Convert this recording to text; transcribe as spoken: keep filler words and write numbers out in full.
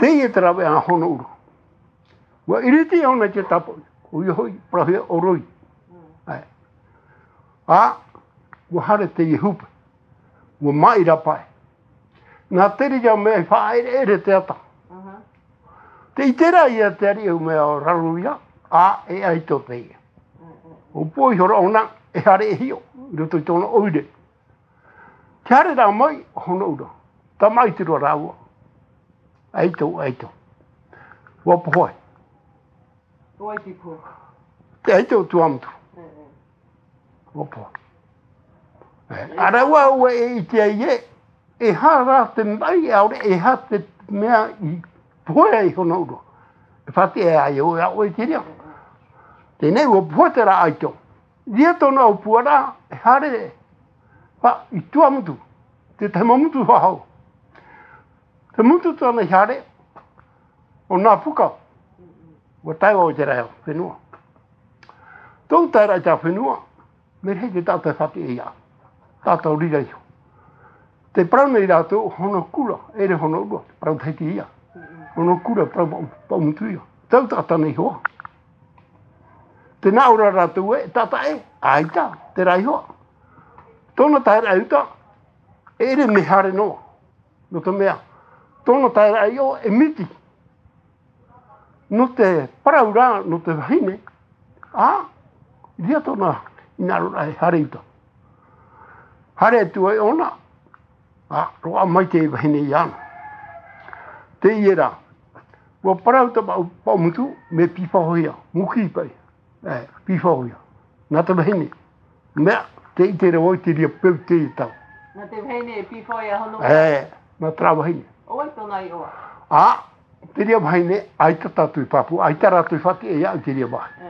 Teie te rave a Honoura. Ua iriti ʻōna i te tāpoʻi, ʻoia hoʻi, parauhia ʻo Roi. ʻAe. ʻĀ, ua haere teie hupe. Ua māʻi rā pae. Nā te reira mea i faʻaʻereʻere te ata. Te ʻite ra ia te ariʻi mea o Raroia, ʻā, e ʻaito teie. ʻUa pohe ihora ʻōna, e haere e hiʻo, i roto i tōna ʻoire. Te haere rā mai, Honoura. Tamaʻi te roa rāua. ʻAito, ʻaito. ʻUa pohe. ʻO vai te pohe? Te ʻaito o Tuamotu. ʻUa pohe. E, ʻa rāua ʻoe e ʻite ai ē, e aha rā te maʻi, ʻaore e aha te mea i pohe ai Honoura. E faʻatiʻa ai ʻoe, ʻa ʻoe i te reira. Teie nei, ʻua pohe terā ʻaito. Ia tōna ʻōpua ra, e haere, ʻā, i Tuamotu, te tahi mau motu faʻahou. Te motu tāna i haere, ʻo Napuka, ʻua tae vau i terā fenua. Tōʻu taeraʻa i terā fenua, mea rahi te taʻata e faʻatiʻa ia, taʻata ʻo reira iho. Tē parau nei rātou Honokura, ʻeʻere Honoura, te parau Tahiti ia. Honokura, parau pa-, Paʻumotu ia. Tau taʻata nei iho. Tē nā ʻō ra rātou ē, taʻata ē, ʻaita, terā iho. Tōna taeraʻa i uta, e ʻere mea haere noa. Nō te mea, tōna taeraʻa i ʻō, e miti. Nō te parau rā, nō te vahine, ʻā, ʻoia tōna hinaʻaro ra e haere i uta. Haere atu ai ʻōna, ʻā, roaʻa mai te vahine iāna. Teie rā, ʻua parau tā Paʻu-, Paʻumotu, mea pīfaʻohia, muki paʻi, e, pīfaʻohia. Nā te vahine, mea, tē ʻite ra vau i te reira peu i teie tau. Nā te vahine e pīfaʻohia Honoura? E, nā terā vahine. ʻO vai tōna iʻoa? ʻĀ, te reira vahine, ʻaita tātou i pāpū, ʻaita rātou i faʻatiʻa ia i te reira vāhi.